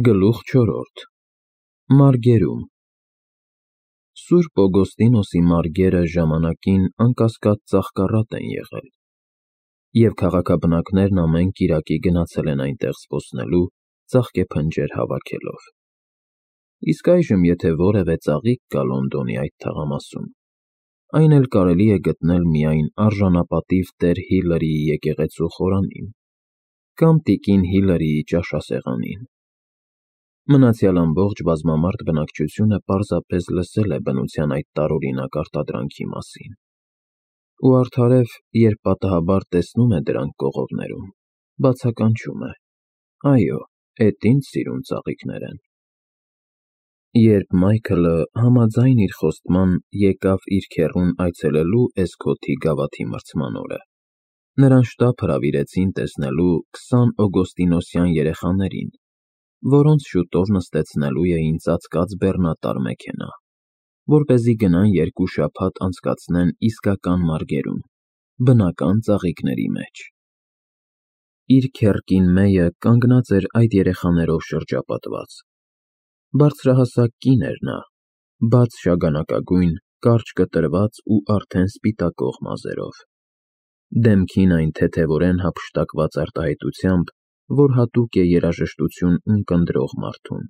Գլուխ 4 Մարգերում Սուրբ Օգոստինոսի մարգերը ժամանակին անկասկած ծաղկառատ են եղել, և քաղաքաբնակներն ամեն կիրակի գնացել են այնտեղ զբոսնելու, ծաղկեփնջեր հավաքելով։ Իսկ այժմ եթե որևէ ծաղիկ կա Լոնդոնի այդ թաղամասում, այն էլ կարելի է գտնել միայն արժանապատիվ տեր Հիլարիի եկեղեցու խորանին կամ տիկին Հիլարիի ճաշասեղանին։ Մնացյալ ամբողջ բազմամարդ բնակչությունը պարզապես լսել է բնության այդ տարօրինակ արտադրանքի մասին, ու արդարև, երբ պատահաբար տեսնում է դրանք կողորներում, բացականչում է. այո, էդ ինչ սիրուն ծաղիկներ են։ Երբ Մայքլը համաձայն իր խոստման եկավ իր քեռուն այցելելու Էսքոթի գավաթի մրցման օրը, նրան շտապ հրավիրեցին տեսնելու 20 օգոստինոսյան երեխաներին, որոնց շուտով նստեցնելու էին ծածկած բեռնատար մեքենա, որպեսզի գնան 2 շաբաթ անցկացնեն իսկական մարգերում, բնական ծաղիկների մեջ։ Իր քեռ Մեյը կանգնած էր այդ երեխաներով շրջապատված։ Բարձրահասակ կին էր նա, բաց շագանակագույն, կարճ կտրված ու արդեն սպիտակող մազերով, դեմքին այն թեթևորեն հափշտակված արտահայտությամբ, որ հատուկ է երաժշտություն ունկնդրող մարդուն։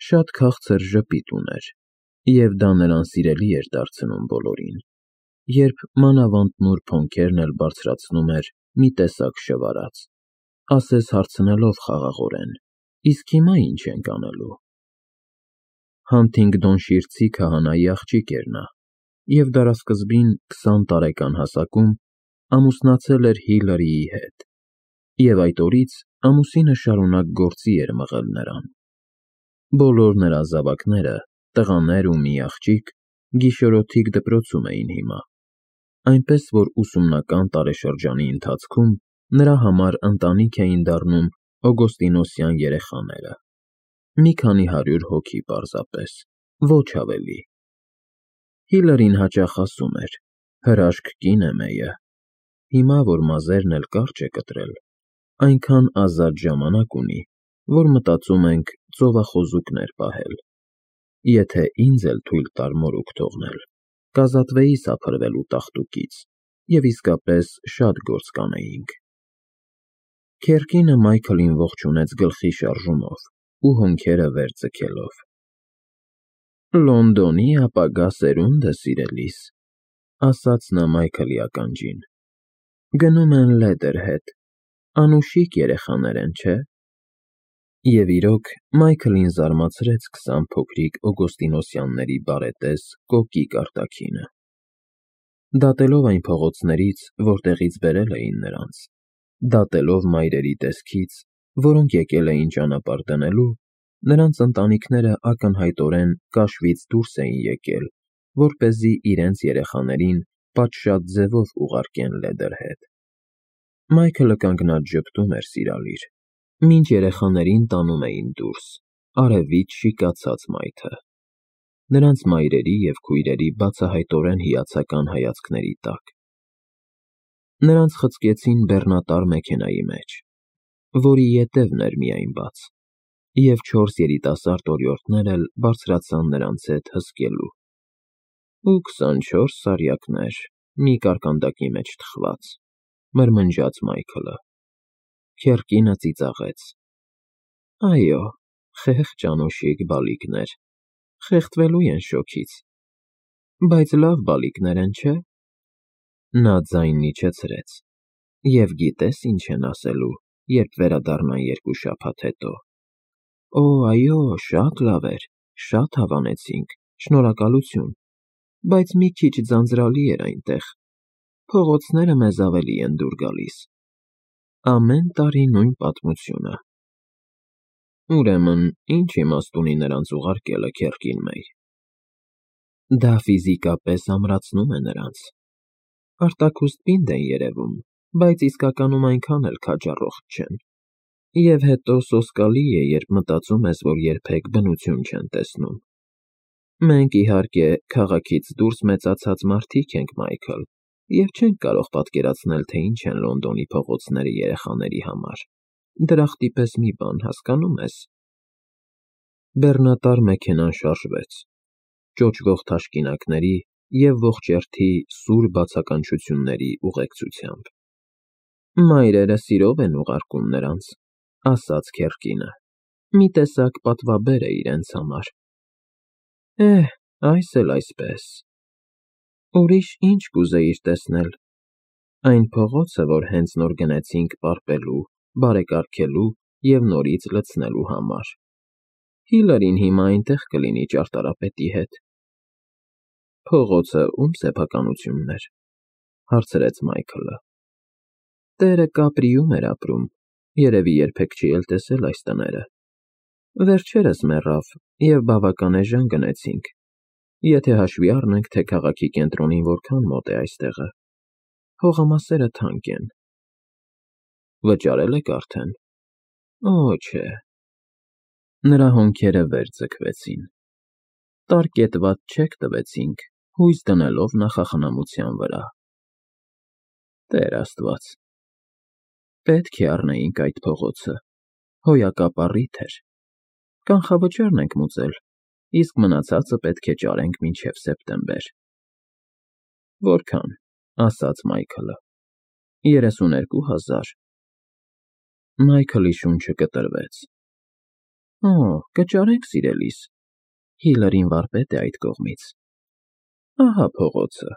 Շատ քաղցր ժպիտ ուներ, և դա նրան սիրելի էր դարձնում բոլորին, երբ մանավանդ նուրբ հոնքերն էլ բարձրացնում էր մի տեսակ շվարած, ասես հարցնելով խաղաղորեն. իսկ հիմա ի՞նչ ենք անելու։ Հանթինգդոնշիրցի քահանայի աղջիկ էր նա, և դարասկզբին 20 տարեկան հասակում ամուսնացել էր Հիլարիի հետ, և այդ օրից ամուսինը շարունակ գործի էր մղել նրան։ Բոլոր նրա զավակները, տղաներ ու մի աղջիկ, գիշերօթիկ դպրոցում էին հիմա, այնպես որ ուսումնական տարեշրջանի ընթացքում նրա համար ընտանիք էին դառնում օգոստինոսյան երեխաները, մի քանի 100 հոգի պարզապես, ոչ ավելի։ Հիլարին հաճախ ասում էր. հրաշք կին է Մեյը, հիմա, որ մազերն էլ կարճ է կտրել, այնքան ազատ ժամանակ ունի, որ մտածում ենք ծովախոզուկներ պահել։ Եթե ինձ էլ թույլ տար մորուք թողնել, կազատվեի սափրվելու տաղտուկից, և իսկապես շատ գործ կանեինք։ Քեռ կինը Մայքլին ողջունեց գլխի շարժումով ու հոնքերը վեր ձգելով։ Լոնդոնի ապագա սերունդը, սիրելիս, ասաց նա Մայքլի ականջին, գնում են Լեդերհեդ, անուշիկ երեխաներ են, չէ՞։ Եվ իրոք, Մայքլին զարմացրեց 20 փոքրիկ օգոստինոսյանների բարետես, կոկիկ արտաքինը։ Դատելով այն փողոցներից, որտեղից բերել էին նրանց, դատելով մայրերի տեսքից, որոնք եկել էին ճանապարհ դնելու, նրանց ընտանիքները ակնհայտորեն կաշվից դուրս էին եկել, որպեսզի իրենց երեխաներին պատշաճ ձևով ուղարկեն Լեդերհեդ։ Մայքլը կանգնած ժպտում էր սիրալիր, մինչ երեխաներին տանում էին դուրս, արևից շիկացած մայթը, նրանց մայրերի և քույրերի բացահայտորեն հիացական հայացքների տակ։ Նրանց խցկեցին բեռնատար մեքենայի մեջ, որի ետևն էր միայն բաց, և 4 երիտասարդ օրիորդներ էլ բարձրացան նրանց հետ հսկելու։ Ու 24 սարյակներ, մի կարկանդակի մեջ թխված, մրմնջաց Մայքլը։ Քեռ կինը ծիծաղեց. այո, խեղճ անուշիկ բալիկներ, խեղդվելու են շոգից, բայց լավ բալիկներ են, չէ՞։ Նա ձայնն իջեցրեց. և գիտես ինչ են ասելու, երբ վերադառնան 2 շաբաթ հետո։ Օ, այո, շատ լավ էր, շատ հավանեցինք, շնորհակալություն, բայց մի քիչ ձանձրալի էր այնտեղ, փողոցները մեզ ավելի են դուր գալիս։ Ամեն տարի նույն պատմությունը։ Ուրեմն, ինչ իմաստ ունի նրանց ուղարկելը, քեռ Մեյ։ Դա ֆիզիկապես ամրացնում է նրանց։ Արտաքուստ պինդ են երևում, բայց իսկականում այնքան էլ քաջառողջ չեն։ Եվ հետո սոսկալի է, երբ մտածում ես, որ երբեք բնություն չեն տեսնում։ Մենք, իհարկե, քաղաքից դուրս մեծացած մարդիկ ենք, Մայքլ, և չենք կարող պատկերացնել, թե ինչ են Լոնդոնի փողոցները երեխաների համար, դրախտի պես մի բան, հասկանո՞ւմ ես, Բեռնատար մեքենան շարժվեց, ճոճվող թաշկինակների և ողջերթի սուր բացականչությունների ուղեկցությամբ։ Մայրերը սիրով են ուղարկում նրանց, ասաց Քերկինը, մի տեսակ պատվաբեր է իրենց համար։ Այս էլ այսպես։ Ուրիշ ինչ կուզեիր տեսնել։ Այն փողոցը, որ հենց նոր գնեցինք պարպելու, բարեկարգելու և նորից լցնելու համար։ Հիլարին հիմա այնտեղ կլինի ճարտարապետի հետ։ Փողոցը ում սեփականությունն էր, հարցրեց Մայքլը։ Տերը Կապրիում էր ապրում, երևի երբեք չի էլ տեսել այս տները։ Վերջերս մեռավ և բավական էժան գնեցինք, եթե հաշվի առնենք, թե քաղաքի կենտրոնին որքան մոտ է այստեղը։ Հողամասերը թանկ են։ Վճարել եք արդեն։ Օ, չէ։ Նրա հոնքերը վեր ձգվեցին։ Տարկետված չեք տվեցինք, հույս դնելով նախախնամության վրա։ Տեր Աստված։ Պետք է առնեինք այդ փողոցը, հոյակապ առիթ էր։ Կանխավճարն ենք մուծել, իսկ մնացածը պետք է ճարենք մինչև սեպտեմբեր։ Որքան, ասաց Մայքլը։ 32,000։ Մայքլի շունչը կտրվեց։ Օ, կճարենք, սիրելիս։ Հիլարին վարպետ է այդ կողմից։ Ահա փողոցը։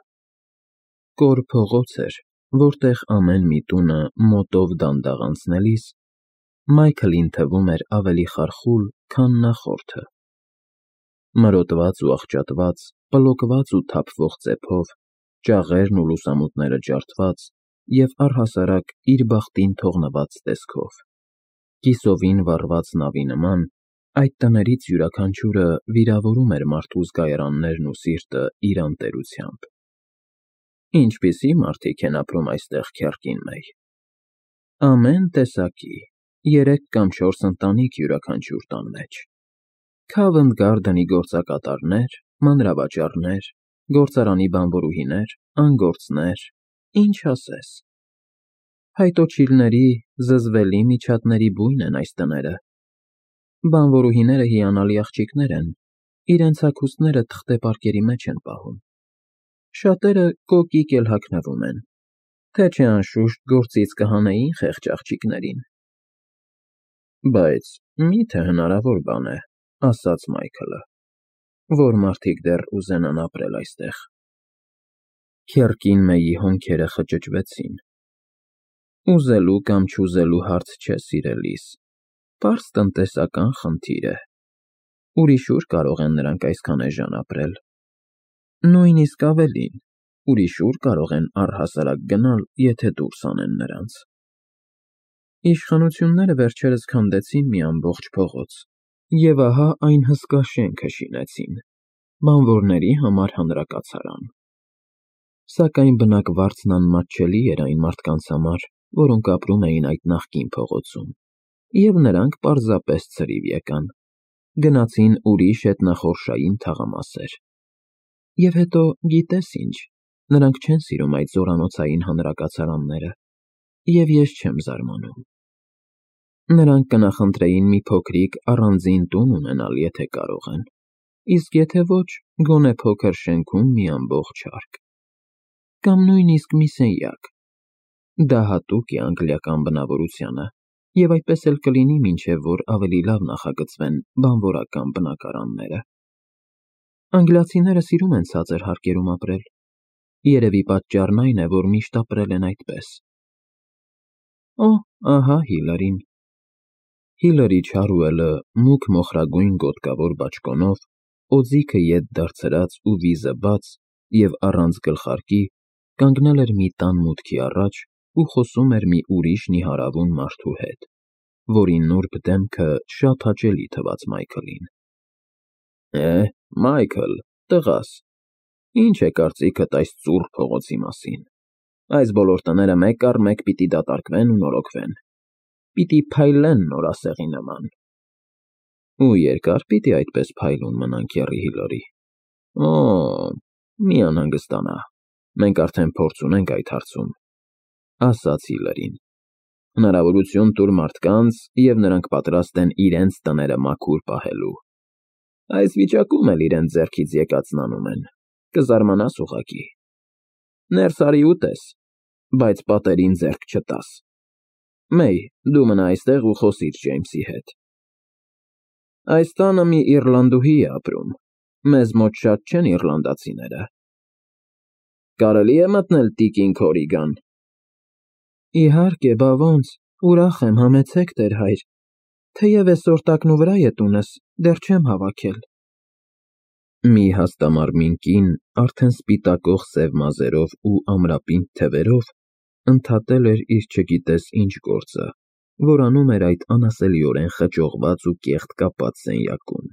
Կոր փողոց էր, որտեղ ամեն մի տունը մոտով դանդաղ անցնելիս Մայքլին թվում էր ավելի խարխուլ, քան նախորդը։ Մրոտված ու աղճատված, պլոկված ու թափվող ծեփով, ճաղերն ու լուսամուտները ջարդված և առհասարակ իր բախտին թողնված տեսքով։ Կիսովին վառված նավի նման, այդ տներից յուրաքանչյուրը վիրավորում էր մարդու զգայարաններն ու սիրտը իր անտերությամբ։ Ինչպիսի մարդիկ են ապրում այստեղ, Քյարկին Մեյ։ Ամեն տեսակի, 3 կամ 4 ընտանիք յուրաքանչյուր տան մեջ։ Քավընդ Գարդենի գործակատարներ, մանրավաճառներ, գործարանի բանվորուհիներ, անգործներ, ինչ ասես։ Հայտոչիլների, զզվելի միջատների բույն են այս տները։ Բանվորուհիները հիանալի աղջիկներ են, իրենց հագուստները թղթե պարկերի մեջ են պահում։ Շատերը կոկիկ էլ հագնվում են, թե չէ անշուշտ գործից կհանեին խեղճ աղջիկներին։ Բայց մի՞թե հնարավոր բան է, ասաց Մայքլը, որ մարդիկ դեռ ուզենան ապրել այստեղ։ Քյարկին Մեյի հոնքերը խճճվեցին։ Ուզելու կամ չուզելու հարց չէ, սիրելիս, պարզ տնտեսական խնդիր է։ Ուրիշ ուր կարող են նրանք այսքան էժան ապրել։ Նույնիսկ ավելին, ուրիշ ուր կարող են առհասարակ գնալ, եթե դուրս անեն նրանց։ Իշխանությունները վերջերս քանդեցին մի ամբողջ փողոց, և ահա այն հսկա շենքը շինեցին, բանվորների համար հանրակացարան։ Սակայն բնակվարձն անմատչելի էր այն մարդկանց համար, որոնք ապրում էին այդ նախկին փողոցում, և նրանք պարզապես ցրիվ եկան, գնացին ուրիշ ետնախորշային թաղամասեր։ Եվ հետո, գիտես ինչ, նրանք չեն սիրում այդ զորանոցային հանրակացարանները, և ես չեմ զարմանում։ Նրանք կնախընտրեին մի փոքրիկ առանձին տուն ունենալ, եթե կարող են, իսկ եթե ոչ, գոնե փոքր շենքում մի ամբողջ հարկ։ Կամ նույնիսկ մի սենյակ։ Դա հատուկ է անգլիական բնավորությանը, և այդպես էլ կլինի, մինչև որ ավելի լավ նախագծվեն բանվորական բնակարանները։ Անգլիացիները սիրում են ցածր հարկերում ապրել։ Երևի պատճառն այն է, որ միշտ ապրել են այդպես։ Օ, ահա Հիլարին։ Հիլարի Չարուելը մուգ մոխրագույն գոտկավոր բաճկոնով, օձիքը ետ դարձրած ու վիզը բաց և առանց գլխարկի, կանգնել էր մի տան մուտքի առաջ ու խոսում էր մի ուրիշ նիհարավուն մարդու հետ, որի նուրբ դեմքը շատ հաճելի թվաց Մայքլին։ Մայքլ, տղաս, ի՞նչ է կարծիքդ այս ծուռ փողոցի մասին։ Այս բոլոր տները մեկ առ մեկ պիտի դատարկվեն ու նորոգվեն։ Պիտի փայլեն նորասեղի նման։ Ու երկա՞ր պիտի այդպես փայլուն մնան, քեռի Հիլարի։ Օ, մի անհանգստանա, մենք արդեն փորձ ունենք այդ հարցում, ասաց Հիլարին։ Հնարավորություն տուր մարդկանց, և նրանք պատրաստ են իրենց տները մաքուր պահելու։ Այս վիճակում էլ իրենց ձեռքից եկածն անում են, կզարմանաս ուղղակի։ Ներս արի ուտես, բայց պատերին ձեռք չտաս։ Մեյ, դու մնա այստեղ ու խոսիր Ջեյմսի հետ։ Այս տանը մի իռլանդուհի է ապրում, մեզ մոտ շատ չեն իռլանդացիները։ Կարելի է մտնել տիկին Քորիգան։ Իհարկե, բա ոնց, ուրախ եմ, համեցեք տեր հայր, թեև այսօր տակնու վրա է տունս, դեռ չեմ հավաքել։ Մի հաստամարմին կին, արդեն սպիտակող սև մազերով ու ամրապինդ թևերով, ընդհատել էր իր չգիտես ինչ գործը, որ անում էր այդ անասելիորեն խճողված ու կեղտ կապած սենյակում։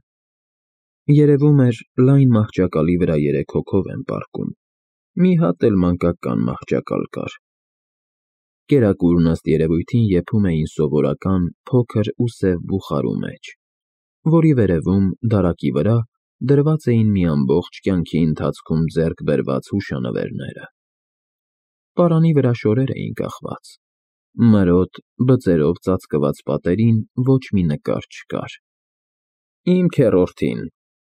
Երևում էր, լայն մահճակալի վրա 3 հոգով են պառկում, մի հատ էլ մանկական մահճակալ կար։ Կերակուրն ըստ երևույթին եփում էին սովորական փոքր ու սև բուխարու մեջ, որի վերևում, դարակի վրա, դրված էին մի ամբողջ կյանքի ընթացքում ձեռք բերված հուշանվերները։ Պարանի վրա շորեր էին կախված։ Մրոտ, բծերով ծածկված պատերին ոչ մի նկար չկար։ Իմ քեռորդին,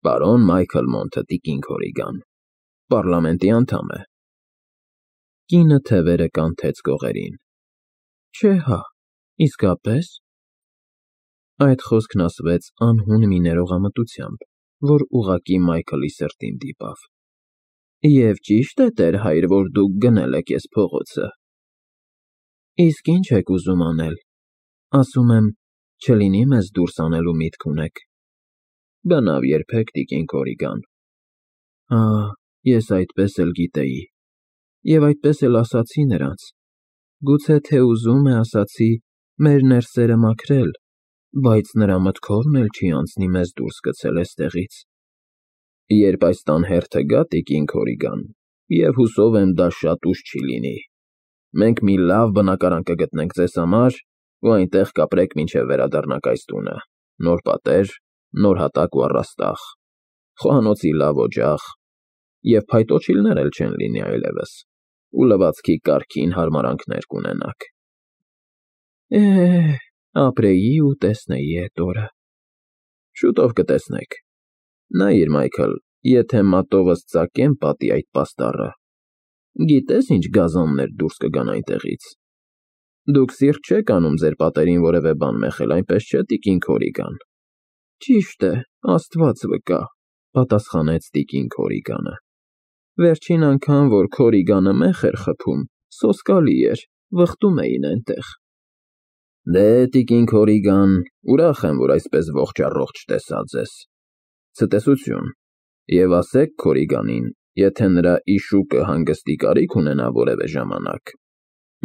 պարոն Մայքլ Մոնթը տիկին Քորիգան, պառլամենտի անդամ է։ Կինը թևերը կանթեց կողերին։ Չէ հա, իսկապես։ Այդ խոսքն ասվեց անհուն մի ներողամտությամբ, որ ուղղակի Մայքլի սրտին դիպավ։ Եվ ճիշտ է, տեր հայր, որ դուք գնել եք էս փողոցը։ Իսկ ինչ եք ուզում անել։ Ասում եմ, չլինի մեզ դուրս անելու միտք ունեք։ Բնավ երբեք տիկին Քորիգան։ Ես այդպես էլ գիտեի։ Եվ այդպես էլ ասացի նրանց։ Գուցե թե ուզում է ասացի մեր ներսերը մաքրել, բայց նրա մտքովն էլ չի անցնի մեզ դուրս գցել էստեղից։ Երբ այս տան հերթը գա, տիկին Քորիգան, և հուսով եմ դա շատ ուշ չի լինի, մենք մի լավ բնակարան կգտնենք ձեզ համար ու այնտեղ կապրեք մինչև վերադառնաք այս տունը, նոր պատեր, նոր հատակ ու առաստաղ, խոհանոցի լավ օջախ, և փայտոջիլներ էլ չեն լինի այլևս, ու լվացքի կարգին հարմարանքներ կունենաք։ Ապրեի ու տեսնեի էդ օրը։ Շուտով կտեսնեք։ Նայիր, Մայքլ, եթե մատովս ծակեմ պատի այդ պաստառը, գիտես ինչ գազաններ դուրս կգան այնտեղից։ Դուք սիրտ չեք անում ձեր պատերին որևէ բան մեխել, այնպես չէ, տիկին Քորիգան։ Ճիշտ է, Աստված վկա, պատասխանեց տիկին Քորիգանը։ Վերջին անգամ, որ Քորիգանը մեղ էր խփում, սոսկալի էր, վխտում էին այնտեղ։ Դե, տիկին Քորիգան, ուրախ եմ, որ այսպես ողջ-առողջ տեսա ձեզ։ Ցտեսություն, և ասեք Քորիգանին, եթե նրա իշուկը հանգստի կարիք ունենա որևէ ժամանակ,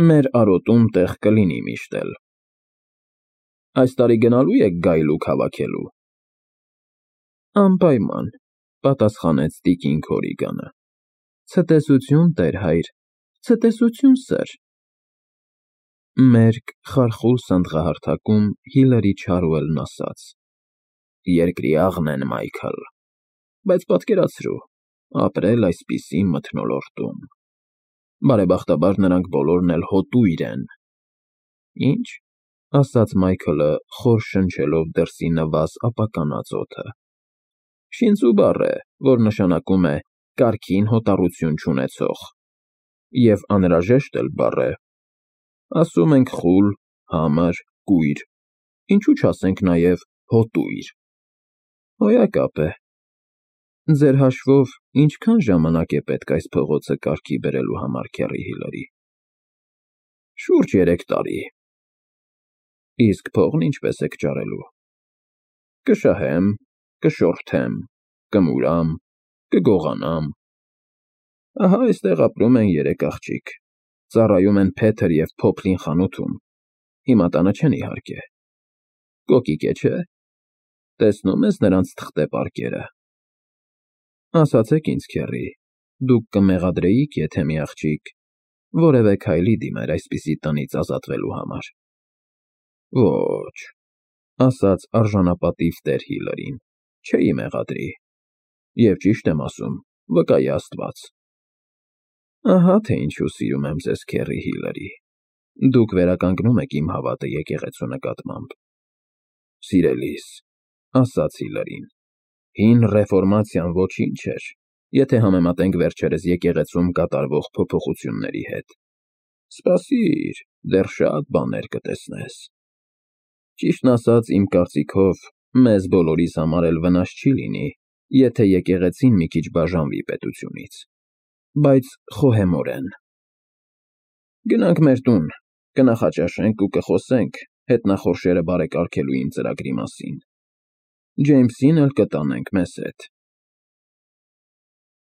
մեր արոտում տեղ կլինի միշտ էլ։ Այս տարի գնալու եք գայլուկ հավաքելու։ Անպայման, պատասխանեց տիկին Քորիգանը։ Ցտեսություն, տեր հայր, ցտեսություն, սըր։ Մերկ խարխուլ սանդղահարթակում Հիլարի Չարուելն ասաց. Երկրի աղն են, Մայքլ, բայց պատկերացրու, ապրել այսպիսի մթնոլորտում։ Բարեբախտաբար նրանք բոլորն էլ հոտույր են։ Ինչ, ասաց Մայքլը, խոր շնչելով դրսի նվազ ապականած օդը։ Շինծու բառ է, որ նշանակում է կարգին հոտառություն չունեցող, և անհրաժեշտ էլ բառ է։ Ասում ենք խուլ, համր, կույր, ինչու չասենք նաև հոտույր։ Հոյակապ է։ Ձեր հաշվով ինչքան ժամանակ է պետք այս փողոցը կարգի բերելու համար, քեռի Հիլարի։ Շուրջ 3 տարի։ Իսկ փողն ինչպես եք ճարելու։ Կշահեմ, կշորթեմ, կմուրամ, կգողանամ։ Ահա այստեղ ապրում են 3 աղջիկ, ծառայում են Փեթր և Փոփլին խանութում, հիմա տանը չեն իհարկե։ Կոկիկ է, չէ՞։ Տեսնում ես նրանց թղթե պարկերը։ Ասացեք ինձ, քեռի, դուք կմեղադրեիք, եթե մի աղջիկ որևէ քայլի դիմեր այսպիսի տնից ազատվելու համար։ Ոչ, ասաց արժանապատիվ տեր Հիլարին, չէի մեղադրի։ Եվ ճիշտ եմ ասում, վկայի Աստված։ Ահա թե ինչու սիրում եմ ձեզ, քեռի Հիլարի։ Դուք վերականգնում եք իմ հավատը եկեղեցու նկատմամբ։ Սիրելիս, ասաց Հիլարին, Հին ռեֆորմացիան ոչինչ էր, եթե համեմատենք վերջերս եկեղեցում կատարվող փոփոխությունների հետ։ Սպասիր, դեռ շատ բաներ կտեսնես։ Ճիշտն ասած, իմ կարծիքով, մեզ բոլորիս համար էլ վնաս չի լինի, եթե եկեղեցին մի քիչ բաժանվի պետությունից, բայց խոհեմորեն։ Գնանք մեր տուն, կնախաճաշենք ու կխոսենք հետնախորշերը բարեկարգելու իմ ծրագրի մասին։ Ջեյմսին էլ կտանենք մեզ հետ։